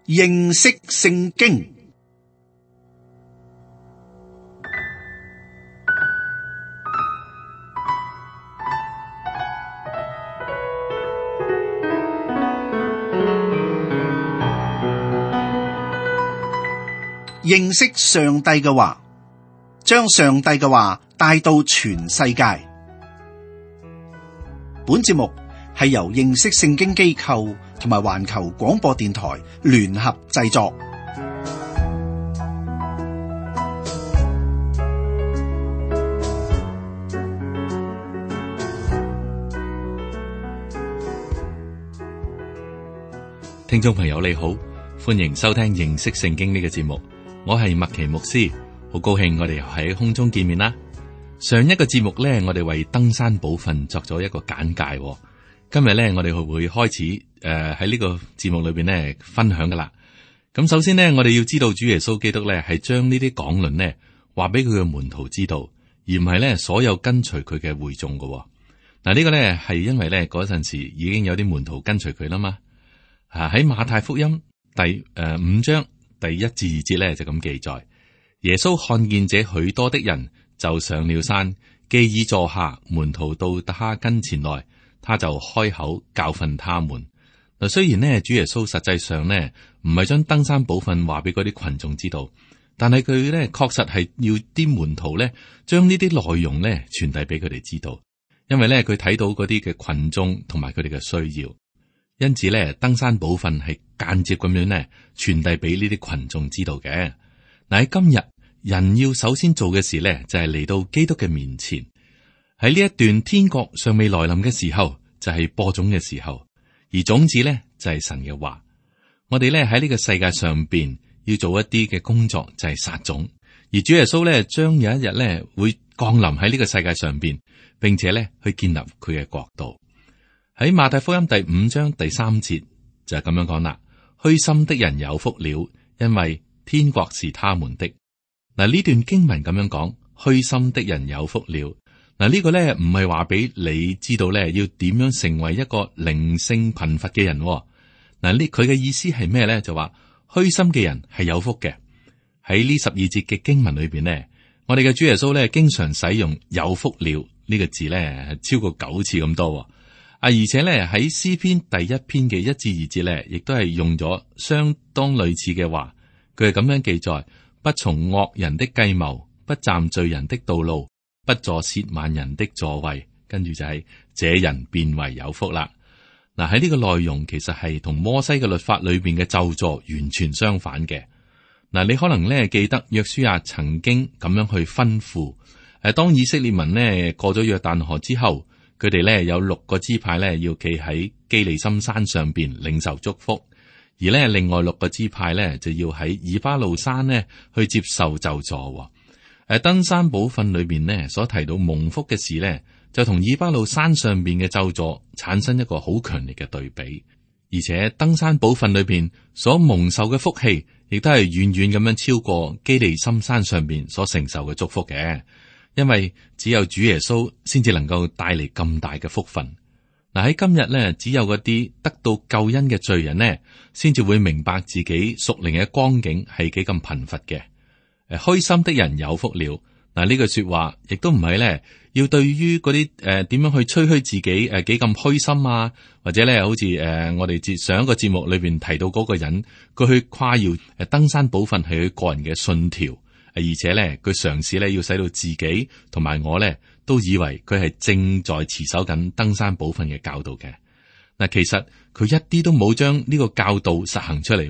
認識聖經。認識上帝嘅話，將上帝嘅話帶到全世界。本節目係由認識聖經機構同埋環球廣播電台聯合製作。聽眾朋友你好，歡迎收聽認識聖經呢個節目。我係麥奇牧師，好高興我哋又喺空中見面啦。上一個節目呢，我哋為登山寶訓作咗一個簡介。今日呢，我哋會開始喺呢個節目裏邊呢分享噶啦。咁首先呢，我哋要知道主耶穌基督呢係將呢啲講論呢話俾佢嘅門徒知道，而唔係呢所有跟隨佢嘅會眾噶。嗱，呢個呢係因為呢嗰陣時已經有啲門徒跟隨佢啦嘛。喺馬太福音第5章第1至2節咧就咁記載，耶穌看見這許多的人，就上了山，既已坐下，門徒到他跟前來，他就開口教訓他們。嗱，雖然呢主耶穌實際上呢唔係將登山寶訓話俾嗰啲群眾知道，但係佢呢確實係要啲門徒呢將呢啲內容呢傳遞俾佢哋知道，因為呢佢睇到嗰啲嘅群眾同埋佢哋嘅需要。因此咧，登山寶訓係間接咁樣咧傳遞俾呢啲群眾知道嘅。嗱，喺今日，人要首先做嘅事咧，就係嚟到基督嘅面前。喺呢一段天國尚未來臨嘅時候，就係播種嘅時候，而種子咧就係神嘅話。我哋咧喺呢個世界上邊要做一啲嘅工作，就係撒種。而主耶穌咧將有一日咧會降臨喺呢個世界上邊，並且咧去建立佢嘅國度。喺馬太福音第5章第3節就係咁樣講啦，虛心的人有福了，因為天國是他們的。嗱，呢段經文咁樣講，虛心的人有福了。嗱，呢個咧唔係話俾你知道咧要點樣成為一個靈性貧乏嘅人。嗱，佢嘅意思係咩咧？就話虛心嘅人係有福嘅。喺呢12節嘅經文裏邊呢，我哋嘅主耶穌咧經常使用有福了呢個字咧超過9次咁多。而且咧喺詩篇第1篇嘅1至2節咧，亦都係用咗相當類似嘅話。佢係咁樣記載：不從惡人的計謀，不站罪人的道路，不坐褻慢人的座位。跟住就係這人便為有福啦。嗱，喺呢個內容其實係同摩西嘅律法裏邊嘅咒詛完全相反嘅。嗱，你可能咧記得約書亞曾經咁樣去吩咐，當以色列民呢過咗約旦河之後，佢哋咧有6個支派咧要企喺基利心山上邊領受祝福，而咧另外6個支派咧就要喺以巴路山呢去接受咒詛。登山寶訓裏邊呢所提到蒙福嘅事咧，就同以巴路山上邊嘅咒詛產生一個好強烈嘅對比。而且登山寶訓裏邊所蒙受嘅福氣，亦都係遠遠咁樣超過基利心山上邊所承受嘅祝福嘅。因為只有主耶穌先至能夠帶嚟咁大嘅福分。嗱，喺今日咧，只有嗰啲得到救恩嘅罪人呢，先至會明白自己屬靈嘅光景係幾咁貧乏嘅。虛心的人有福了。嗱，呢句說話亦都唔係咧，要對於嗰啲點樣去吹噓自己幾咁虛心啊，或者咧好似我哋上一個節目裏邊提到嗰個人，佢去誇耀登山寶訓係佢個人嘅信條。而且咧，佢嘗試咧要使到自己同埋我咧都以為佢係正在持守緊登山寶訓嘅教導嘅。嗱，其實佢一啲都冇將呢個教導實行出嚟，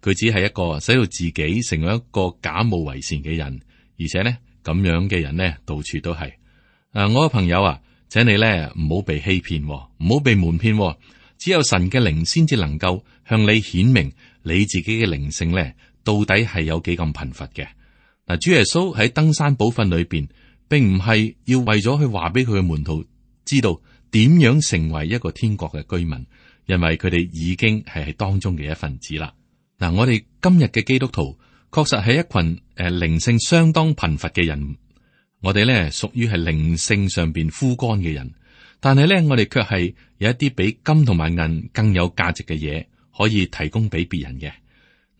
佢只係一個使到自己成為一個假冒為善嘅人。而且咧咁樣嘅人咧到處都係。我嘅朋友啊，請你咧唔好被欺騙，唔好被瞞騙。只有神嘅靈先至能夠向你顯明你自己嘅靈性咧到底係有幾咁貧乏嘅。嗱，主耶穌喺登山寶訓裏邊，並唔係要為咗去話俾佢嘅門徒知道點樣成為一個天國嘅居民，因為佢哋已經係當中嘅一份子啦。嗱，我哋今日嘅基督徒確實係一群靈性相當貧乏嘅人，我哋咧屬於係靈性上邊枯乾嘅人，但係咧我哋卻係有一啲比金同埋銀更有價值嘅嘢可以提供俾別人嘅。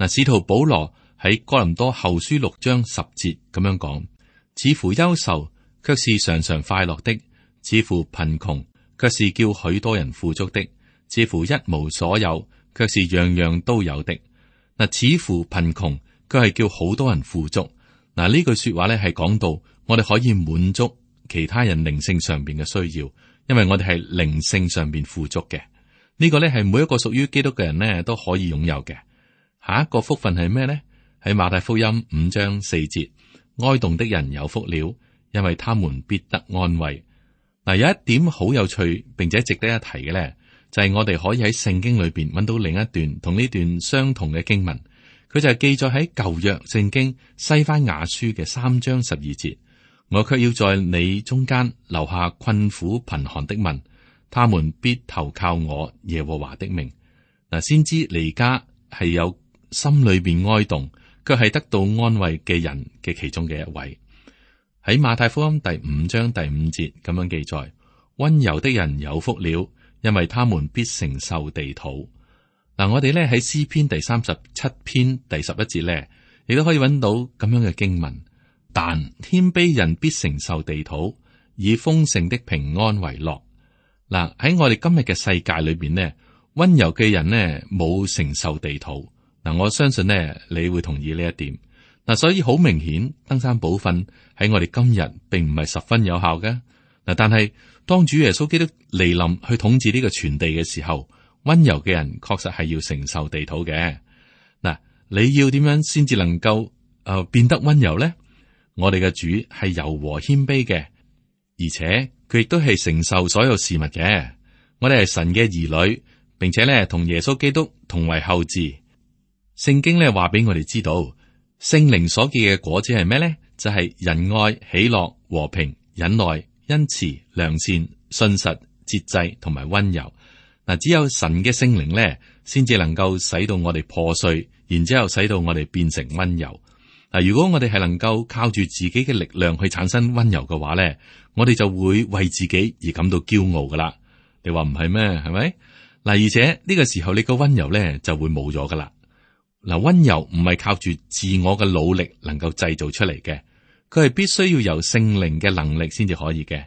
嗱，使徒保羅喺哥林多後書6章10節咁樣講：似乎憂愁，卻是常常快樂的；似乎貧窮，卻是叫許多人富足的；似乎一無所有，卻是樣樣都有的。嗱，似乎貧窮，佢係叫好多人富足。嗱，呢句說話咧係講到我哋可以滿足其他人靈性上邊嘅需要，因為我哋係靈性上邊富足嘅。呢個咧係每一個屬於基督嘅人咧都可以擁有嘅。下一個福分係咩呢？喺馬太福音5章4節，哀慟的人有福了，因為他們必得安慰。嗱，有一點好有趣，並且值得一提嘅咧，就係我哋可以喺聖經裏邊揾到另一段同呢段相同嘅經文。佢就係記載喺舊約聖經西番雅書嘅3章12節。我卻要在你中間留下困苦貧寒的民，他們必投靠我耶和華的名。嗱，先知彌迦係有心裏邊哀慟，卻係得到安慰嘅人嘅其中嘅一位。喺馬太福音第5章第5節咁樣記載：溫柔的人有福了，因為他們必承受地土。嗱，我哋咧喺詩篇第37篇第11節咧，亦都可以揾到咁樣嘅經文。但謙卑人必承受地土，以豐盛的平安為樂。嗱，喺我哋今日嘅世界裏邊呢，溫柔嘅人呢冇承受地土。嗱，我相信呢你會同意呢一點。嗱，所以好明顯，登山寶訓喺我哋今日並唔係十分有效嘅。嗱，但係當主耶穌基督嚟臨去統治呢個全地嘅時候，溫柔嘅人確實係要承受地土嘅。嗱，你要點樣先至能夠變得溫柔呢？我哋嘅主係柔和謙卑嘅，而且佢亦都係承受所有事物嘅。我哋係神嘅兒女，並且咧同耶穌基督同為後嗣。聖經咧話俾我哋知道，聖靈所結嘅果子係咩咧？就係仁愛、喜樂、和平、忍耐、恩慈、良善、信實、節制同埋溫柔。嗱，只有神嘅聖靈咧，先至能夠使到我哋破碎，然之後使到我哋變成溫柔。嗱，如果我哋係能夠靠住自己嘅力量去產生溫柔嘅話咧，我哋就會為自己而感到驕傲噶啦。你話唔係咩？係咪？嗱，而且呢個時候你個溫柔咧就會冇咗噶啦。嗱，溫柔唔係靠住自我嘅努力能夠製造出嚟嘅，佢係必須要由聖靈嘅能力先至可以嘅。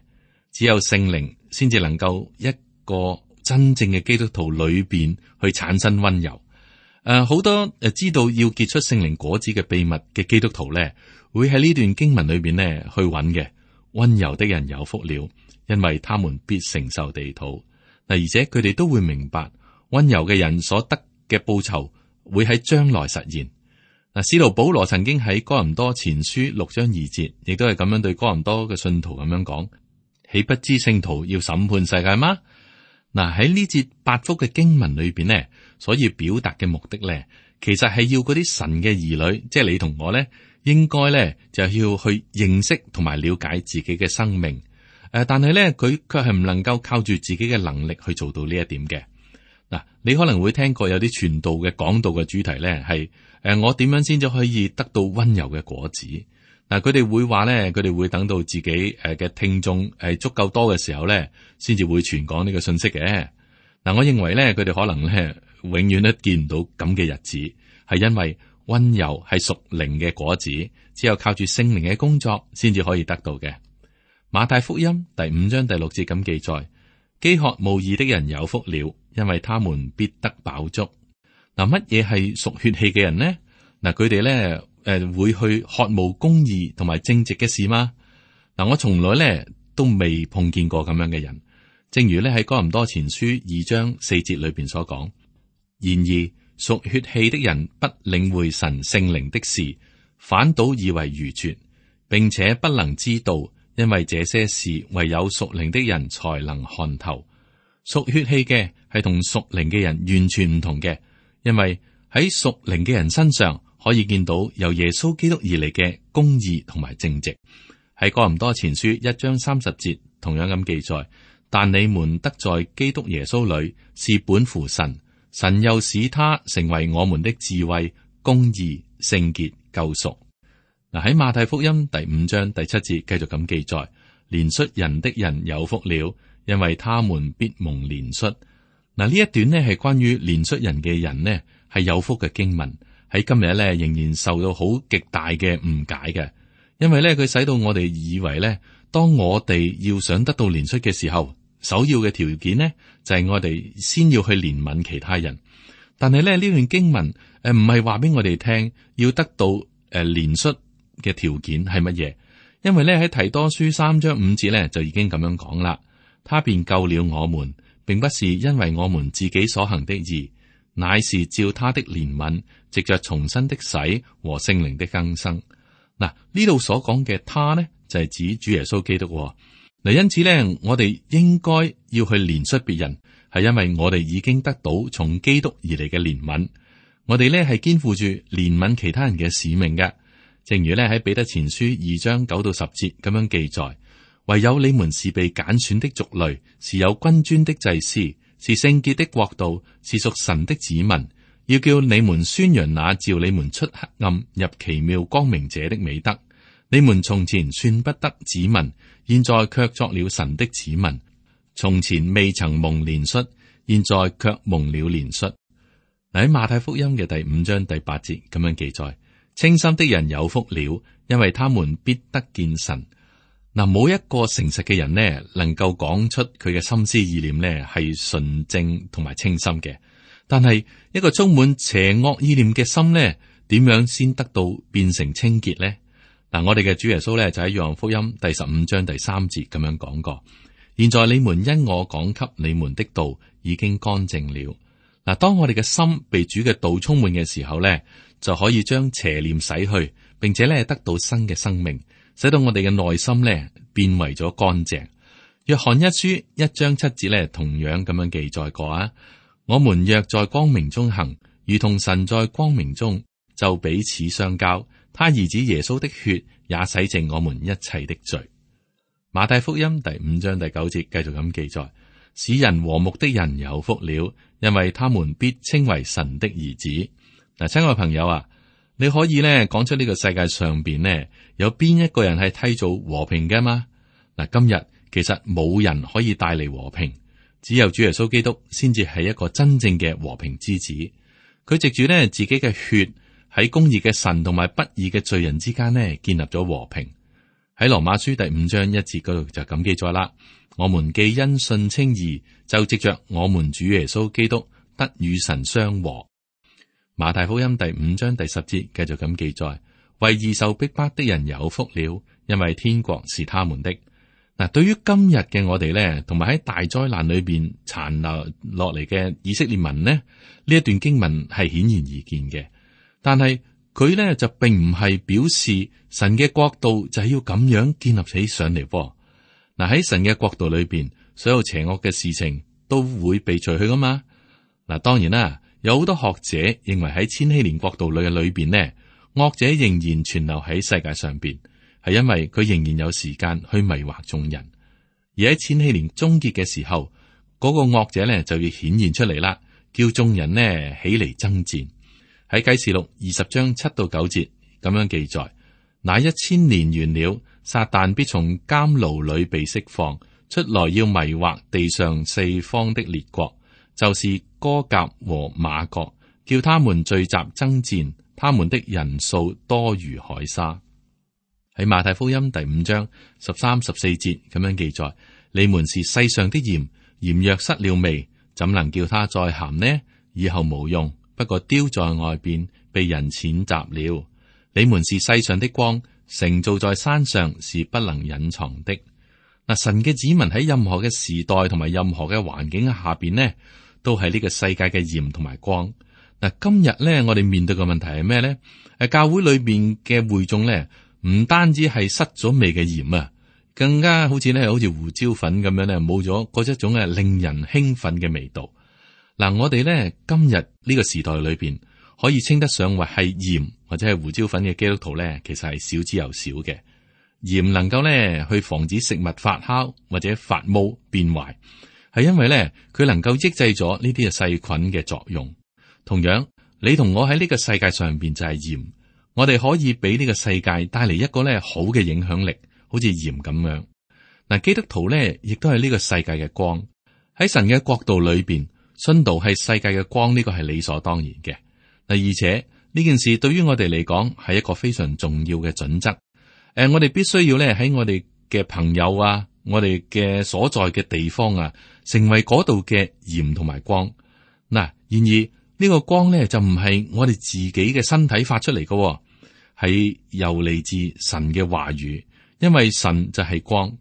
只有聖靈先至能夠一個真正嘅基督徒裏邊去產生溫柔。好多知道要結出聖靈果子嘅秘密嘅基督徒咧，會喺呢段經文裏邊咧去揾嘅。溫柔的人有福了，因為他們必承受地土。嗱，而且佢哋都會明白溫柔嘅人所得嘅報酬會喺將來實現。嗱，使徒保羅曾經喺哥林多前書6章2節，亦都係咁樣對哥林多嘅信徒咁樣講：豈不知聖徒要審判世界嗎？嗱，喺呢節8福嘅經文裏邊呢，所以表達嘅目的咧，其實係要嗰啲神嘅兒女，即係你同我咧，應該咧就要去認識同埋了解自己嘅生命。但係咧，佢卻係唔能夠靠住自己嘅能力去做到呢一點嘅。嗱，你可能會聽過有啲傳道嘅講道嘅主題咧，係我點樣先至可以得到溫柔嘅果子？嗱，佢哋會話咧，佢哋會等到自己嘅聽眾足夠多嘅時候咧，先至會傳講呢個信息嘅。嗱，我認為咧，佢哋可能咧永遠都見唔到咁嘅日子，係因為溫柔係屬靈嘅果子，只有靠住聖靈嘅工作先至可以得到嘅。馬太福音第5章第6節咁記載：飢渴慕義的人有福了，因為他們必得飽足。嗱，乜嘢係屬血氣嘅人呢？嗱，佢哋咧會去渴慕公義同埋正直嘅事嗎？嗱，我從來咧都未碰見過咁樣嘅人。正如咧喺哥林多前書2章4節裏邊所講：然而屬血氣的人不領會神聖靈的事，反倒以為愚拙，並且不能知道，因為這些事唯有屬靈的人才能看透。屬血氣嘅係同屬靈嘅人完全唔同嘅，因為喺屬靈嘅人身上可以見到由耶穌基督而嚟嘅公義同埋正直。喺哥林多前書1章30節同樣咁記載：但你們得在基督耶穌裏是本乎神，神又使他成為我們的智慧、公義、聖潔、救贖。嗱，喺馬太福音第5章第7節繼續咁記載：憐恤人的人有福了，因為他們必蒙憐恤。嗱，呢一段呢係關於憐恤人嘅人呢係有福嘅經文，喺今日咧仍然受到好極大嘅誤解嘅，因為咧佢使到我哋以為咧，當我哋要想得到憐恤嘅時候，首要嘅條件呢，就係我哋先要去憐憫其他人。但係咧呢段經文唔係話俾我哋聽要得到憐恤嘅條件係乜嘢，因為咧喺提多書3章5節咧就已經咁樣講啦。他便救了我們，並不是因為我們自己所行的義，乃是照他的憐憫，藉着重生的洗和聖靈的更新。嗱，呢度所講嘅他呢，就係指主耶穌基督。嗱，因此咧，我哋應該要去憐恤別人，係因為我哋已經得到從基督而嚟嘅憐憫。我哋咧係肩負住憐憫其他人嘅使命嘅。正如咧喺彼得前書2章9到10節咁樣記載，唯有你們是被揀選的族類，是有君尊的祭司，是聖潔的國度，是屬神的子民，要叫你們宣揚那召你們出黑暗入奇妙光明者的美德。你們從前算不得子民，現在卻作了神的子民；從前未曾蒙憐恤，現在卻蒙了憐恤。喺馬太福音嘅第5章第8節咁樣記載：清心的人有福了，因為他們必得見神。嗱，冇一個誠實嘅人呢，能夠講出佢嘅心思意念呢係純正同埋清心嘅。但係一個充滿邪惡意念嘅心呢，點樣先得到變成清潔呢？嗱，我哋嘅主耶穌咧就喺約翰福音第15章第3節咁樣講過：現在你們因我講給你們的道已經乾淨了。嗱，當我哋嘅心被主嘅道充滿嘅時候咧，就可以將邪念洗去，並且咧得到新嘅生命，使到我哋嘅內心咧變為咗乾淨。約翰一書1章7節咧同樣咁樣記載過啊：我們若在光明中行，如同神在光明中，就彼此相交。他兒子耶穌的血也洗淨我們一切的罪。馬太福音第5章第9節繼續咁記載：使人和睦的人有福了，因為他們必稱為神的兒子。嗱，親愛朋友啊，你可以咧講出呢個世界上邊呢有邊一個人係締造和平嘅嘛？嗱，今日其實冇人可以帶嚟和平，只有主耶穌基督先至係一個真正嘅和平之子。佢藉住呢自己嘅血，喺公義嘅神同埋不義嘅罪人之間呢，建立咗和平。喺羅馬書第5章1節嗰度就咁記載啦：我們既因信稱義，就藉着我們主耶穌基督得與神相和。馬太福音第5章第10節繼續咁記載：為義受逼迫的人有福了，因為天國是他們的。嗱，對於今日嘅我哋呢，同埋喺大災難裏邊殘留落嚟嘅以色列民呢，呢一段經文係顯然易見嘅。但係佢咧就並唔係表示神嘅國度就係要咁樣建立起上嚟。嗱，喺神嘅國度裏邊，所有邪惡嘅事情都會被除去噶嘛。嗱，當然啦，有好多學者認為喺千禧年國度裏邊呢，惡者仍然存留喺世界上邊，係因為佢仍然有時間去迷惑眾人。而喺千禧年終結嘅時候，嗰個惡者咧就要顯現出嚟啦，叫眾人呢起嚟爭戰。喺啟示錄20章7到9節咁樣記載：那1000年完了，撒旦必從監牢裏被釋放出來，要迷惑地上四方的列國，就是歌革和瑪各，叫他們聚集爭戰，他們的人數多如海沙。喺馬太福音第5章13、14節咁樣記載：你們是世上的鹽，鹽若失了味，怎能叫它再鹹呢？以後無用，不過丟在外邊，被人踐踏了。你們是世上的光，城造在山上是不能隱藏的。嗱，神嘅子民喺任何嘅時代同埋任何嘅環境下邊呢，都係呢個世界嘅鹽同埋光。嗱，今日咧，我哋面對嘅問題係咩咧？教會裏邊嘅會眾咧，唔單止係失咗味嘅鹽啊，更加好似胡椒粉咁樣咧，冇咗嗰一種令人興奮嘅味道。嗱，我哋咧今日呢個時代裏邊，可以稱得上為係鹽或者係胡椒粉嘅基督徒咧，其實係少之又少嘅。鹽能夠咧去防止食物發酵或者發毛變壞，係因為咧佢能夠抑制咗呢啲嘅細菌嘅作用。同樣，你同我喺呢個世界上邊就係鹽，我哋可以俾呢個世界帶嚟一個咧好嘅影響力，好似鹽咁樣。嗱，基督徒咧亦都係呢個世界嘅光，喺神嘅國度裏邊，信道係世界嘅光，呢個係理所當然嘅。嗱，而且呢件事對於我哋嚟講係一個非常重要嘅準則。我哋必須要咧喺我哋嘅朋友啊，我哋嘅所在嘅地方啊，成為嗰度嘅鹽同埋光。嗱，然而呢個光咧就唔係我哋自己嘅身體發出嚟嘅，係又嚟自神嘅話語，因為神就係光。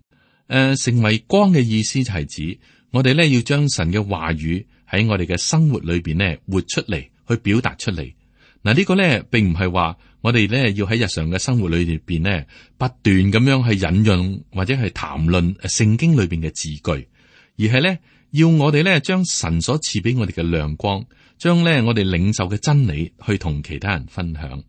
成為光嘅意思就係指我哋咧要將神嘅話語喺我哋嘅生活裏邊咧活出嚟，去表達出嚟。嗱，呢個咧並唔係話我哋咧要喺日常嘅生活裏邊咧不斷咁樣去引用或者係談論聖經裏邊嘅字句，而係咧要我哋咧將神所賜俾我哋嘅亮光，將咧我哋領受嘅真理去同其他人分享，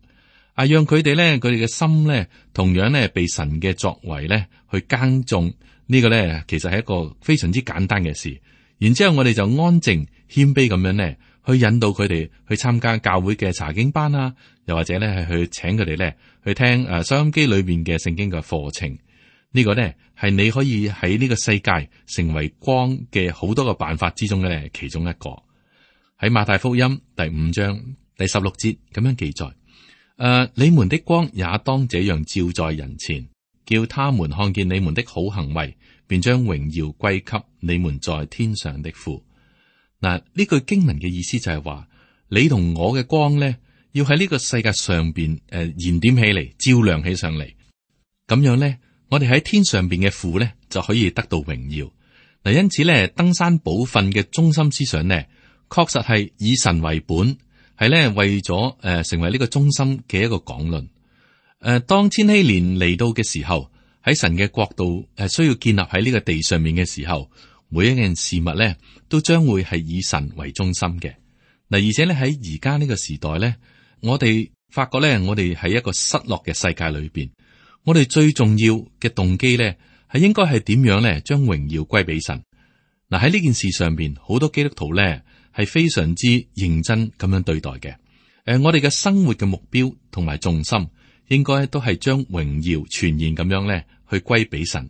讓佢哋嘅心咧同樣咧被神嘅作為咧去耕種。呢個咧其實係一個非常之簡單嘅事。然之後我哋就安靜謙卑咁樣咧去引導佢哋去參加教會嘅查經班啊，又或者咧係去請佢哋咧去聽收音機裏邊嘅聖經嘅課程。呢個咧係你可以喺呢個世界成為光嘅好多個辦法之中嘅咧其中一個。喺馬太福音第5章第16節咁樣記載：你們的光也當這樣照在人前，叫他們看見你們的好行為，便將榮耀歸給你們在天上的父。嗱，呢句經文嘅意思就係話，你同我嘅光咧，要喺呢個世界上邊燃點起嚟，照亮起上嚟。咁樣咧，我哋喺天上邊嘅父咧就可以得到榮耀。嗱，因此咧，登山寶訓嘅中心思想咧，確實係以神為本，係咧為咗成為呢個中心嘅一個講論。當千禧年嚟到嘅時候，喺神嘅國度需要建立喺呢個地上面嘅時候，每一件事物咧都將會係以神為中心嘅。嗱，而且咧喺而家呢個時代咧，我哋發覺咧，我哋喺一個失落嘅世界裏邊，我哋最重要嘅動機咧係應該係點樣咧將榮耀歸俾神。嗱，喺呢件事上邊，好多基督徒咧係非常之認真咁樣對待嘅。我哋嘅生活嘅目標同埋重心，應該都係將榮耀全然咁樣咧去歸俾神。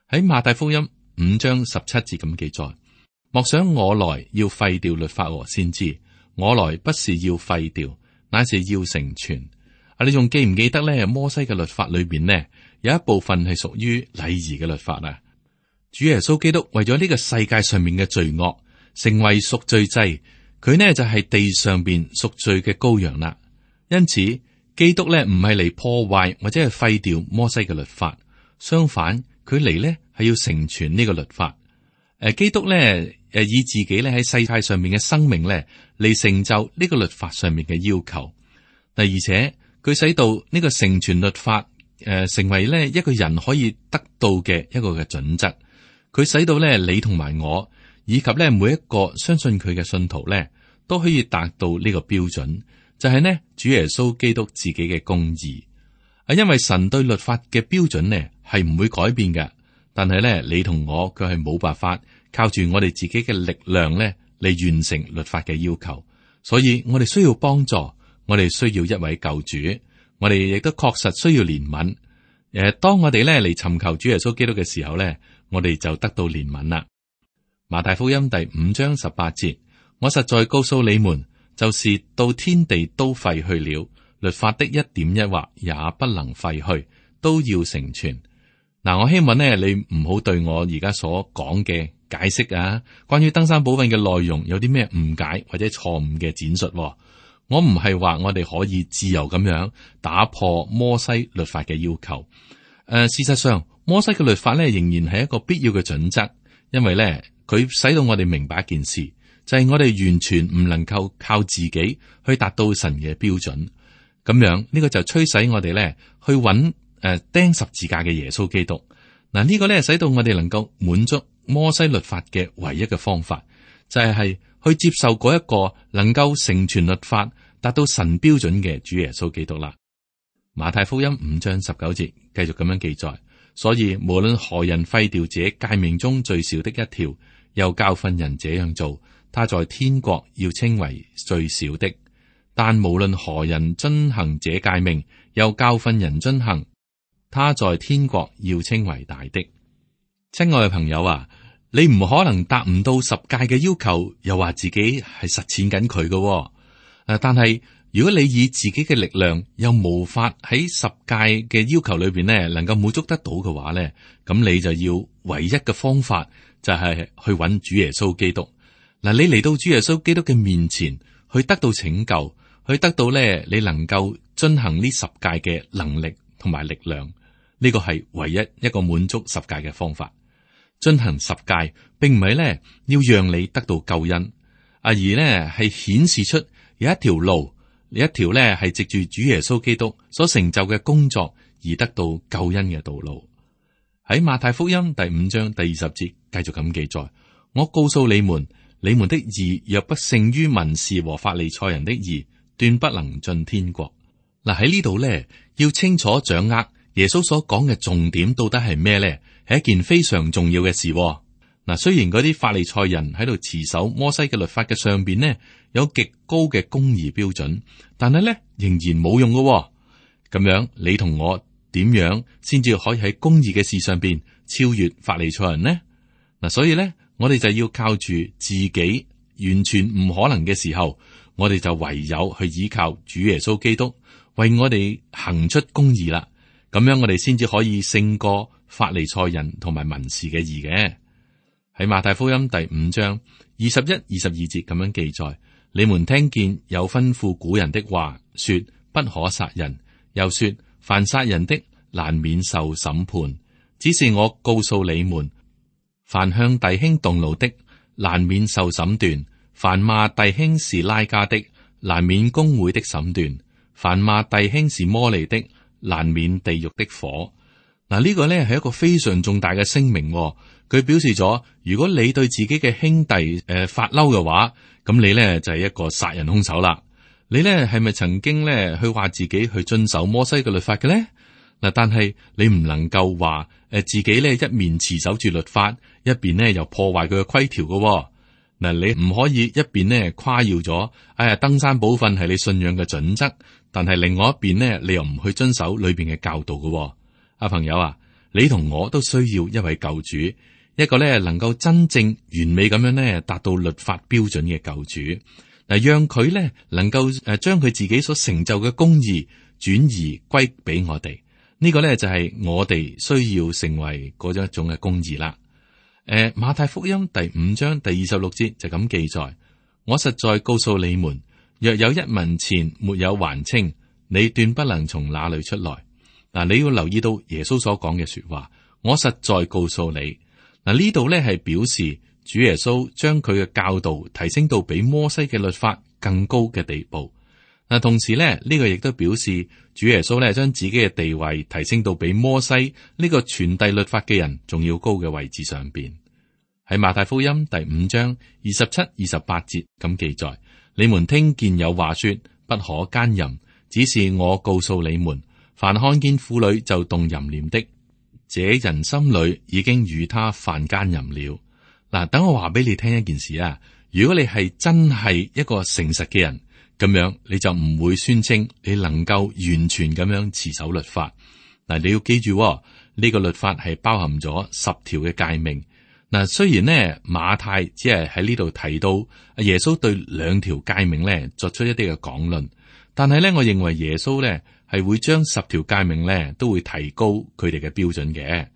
喺馬太福音5章17節咁記載：莫想我來要廢掉律法和先知，我來不是要廢掉，乃是要成全。你仲記唔記得咧？摩西嘅律法裏邊呢，有一部分係屬於禮儀嘅律法啊。主耶穌基督為咗呢個世界上面嘅罪惡，成為贖罪祭，佢呢就係地上邊贖罪嘅羔羊啦。因此，基督咧唔係嚟破壞或者係廢掉摩西嘅律法，相反，佢嚟呢係要成全呢個律法。基督咧以自己咧喺世界上面嘅生命咧嚟成就呢個律法上面嘅要求。而且佢使到呢個成全律法成為咧一個人可以得到嘅一個嘅準則。佢使到咧你同埋我，以及咧每一個相信佢嘅信徒咧，都可以達到呢個標準，就係呢主耶穌基督自己嘅公義。因為神對律法嘅標準呢係唔會改變嘅，但係咧你同我佢係冇辦法靠住我哋自己嘅力量咧嚟完成律法嘅要求，所以我哋需要幫助，我哋需要一位救主，我哋亦都確實需要憐憫。當我哋咧嚟尋求主耶穌基督嘅時候咧，我哋就得到憐憫啦。馬太福音第5章18節：我實在告訴你們，就是到天地都廢去了，律法的一點一畫也不能廢去，都要成全。嗱，我希望呢，你唔好對我而家所講嘅解釋啊，關於登山寶訓嘅內容有啲咩誤解或者錯誤嘅展述。我唔係話我哋可以自由咁樣打破摩西律法嘅要求。事實上，摩西嘅律法咧仍然係一個必要嘅準則，因為咧佢使到我哋明白一件事，就係我哋完全唔能夠靠自己去達到神嘅標準。咁樣呢個就驅使我哋咧去揾釘十字架嘅耶穌基督。嗱，呢個咧使到我哋能夠滿足摩西律法嘅唯一嘅方法，就係去接受嗰一個能夠成全律法、達到神標準嘅主耶穌基督啦。馬太福音5章19節繼續咁樣記載：所以無論何人廢掉這誡命中最小的一條，又教訓人這樣做，他在天國要稱為最小的；但無論何人遵行這誡命，又教訓人遵行，他在天國要稱為大的。親愛嘅朋友啊，你唔可能達唔到10誡嘅要求，又話自己係實踐緊佢嘅。但係如果你以自己嘅力量又無法喺十誡嘅要求裏邊呢能夠滿足得到嘅話呢，咁你就要唯一嘅方法就係去揾主耶穌基督。嗱，你嚟到主耶穌基督嘅面前，去得到拯救，去得到咧你能夠遵行呢十誡嘅能力同埋力量。呢個係唯一一個滿足十誡嘅方法。遵行十誡並唔係咧要讓你得到救恩，而呢係顯示出有一條路，有一條咧係藉住主耶穌基督所成就嘅工作而得到救恩嘅道路。喺馬太福音第5章第20節繼續咁記載：我告訴你們，你們的義若不勝於文士和法利賽人的義，斷不能進天國。嗱，喺呢度咧要清楚掌握耶穌所講嘅重點到底係咩咧？係一件非常重要嘅事。嗱，雖然嗰啲法利賽人喺度持守摩西嘅律法嘅上邊呢，有極高嘅公義標準，但係咧仍然冇用嘅。咁樣你同我點樣先至可以喺公義嘅事上邊超越法利賽人呢？嗱，所以咧我哋就要靠住自己完全唔可能嘅時候，我哋就唯有去依靠主耶穌基督為我哋行出公義啦。咁樣我哋先至可以勝過法利賽人同埋文士嘅義嘅。喺馬太福音第5章21、22節咁樣記載：你們聽見有吩咐古人的話，說不可殺人，又說凡殺人的難免受審判。只是我告訴你們，凡向弟兄動怒的難免受審斷；凡罵弟兄是拉加的，難免公會的審斷；凡罵弟兄是魔利的，難免地獄的火。嗱，呢個呢係一個非常重大嘅聲明。佢表示咗，如果你對自己嘅兄弟發嬲嘅話，咁你呢就係一個殺人兇手啦。你呢係咪曾經呢去話自己去遵守摩西嘅律法嘅呢？嗱，但係你唔能夠話自己呢一面持守住律法，一邊呢又破壞佢嘅規條嘅。嗱，你唔可以一邊呢誇耀咗，登山寶訓係你信仰嘅準則，但係另外一邊呢，你又唔去遵守裏邊嘅教導嘅。朋友啊，你同我都需要一位救主，一個咧能夠真正完美咁樣咧達到律法標準嘅救主，嗱，讓佢咧能夠將佢自己所成就嘅公義轉移歸俾我哋。呢個咧就係我哋需要成為嗰一種嘅公義啦。馬太福音第5章第26節就咁記載：我實在告訴你們，若有一文錢沒有還清，你斷不能從那裏出來。嗱，你要留意到耶穌所講嘅說話，我實在告訴你。嗱，呢度咧係表示主耶穌將佢嘅教導提升到比摩西嘅律法更高嘅地步。嗱，同時咧呢個亦都表示主耶穌咧將自己嘅地位提升到比摩西呢個傳遞律法嘅人仲要高嘅位置上邊。喺馬太福音第5章27、28節咁記載：你們聽見有話說不可奸淫，只是我告訴你們，凡看見婦女就動淫念的，這人心裏已經與他犯奸淫了。嗱，等我話俾你聽一件事啊，如果你係真係一個誠實嘅人，咁樣你就唔會宣稱你能夠完全咁樣持守律法。嗱，你要記住，呢個律法係包含咗10條嘅誡命。嗱，雖然呢馬太只係喺呢度提到耶穌對2條誡命咧作出一啲嘅講論，但係咧我認為耶穌咧係會將10條誡命咧都會提高佢哋嘅標準嘅。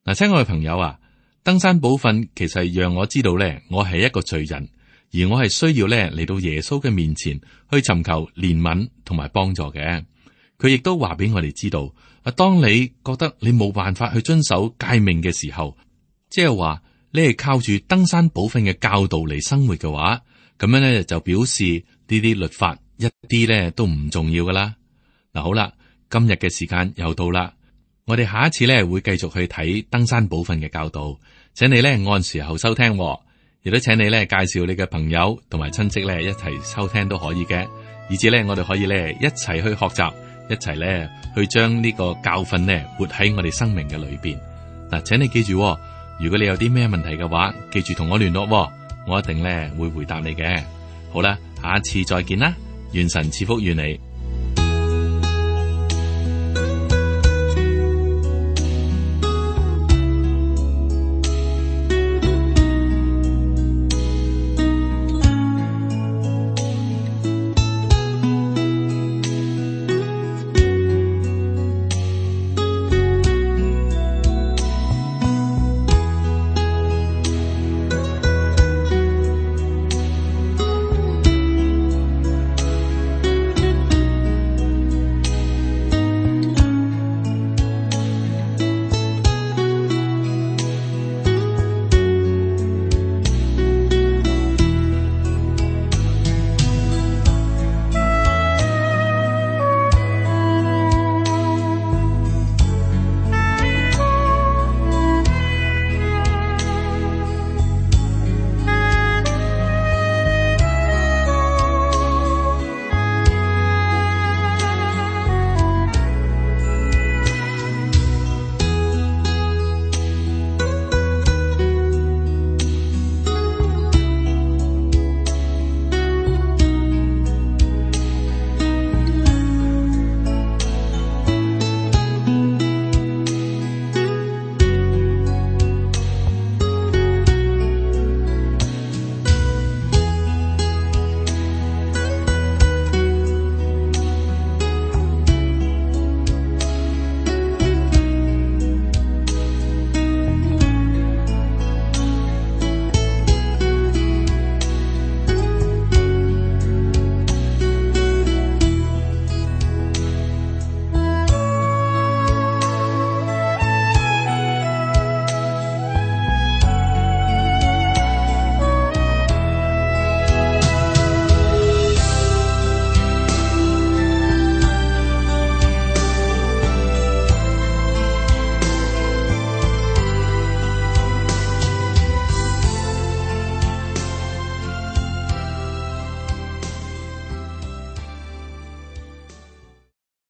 嗱，親愛嘅朋友啊，登山寶訓其實讓我知道咧，我係一個罪人，而我係需要咧嚟到耶穌嘅面前去尋求憐憫同埋幫助嘅。佢亦都話俾我哋知道，當你覺得你冇辦法去遵守誡命嘅時候，即係話你係靠住登山寶訓嘅教導嚟生活嘅話，咁樣咧就表示呢啲律法一啲咧都唔重要噶啦。嗱，好啦，今日嘅時間又到啦，我哋下一次咧會繼續去睇登山寶訓嘅教導，請你咧按時候收聽，亦都請你咧介紹你嘅朋友同埋親戚咧一齊收聽都可以嘅，以至咧我哋可以咧一齊去學習，一齊咧去將呢個教訓咧活喺我哋生命嘅裏邊。嗱，請你記住，如果你有啲咩問題嘅話，記住同我聯絡，我一定咧會回答你嘅。好啦，下一次再見啦，願神賜福於你。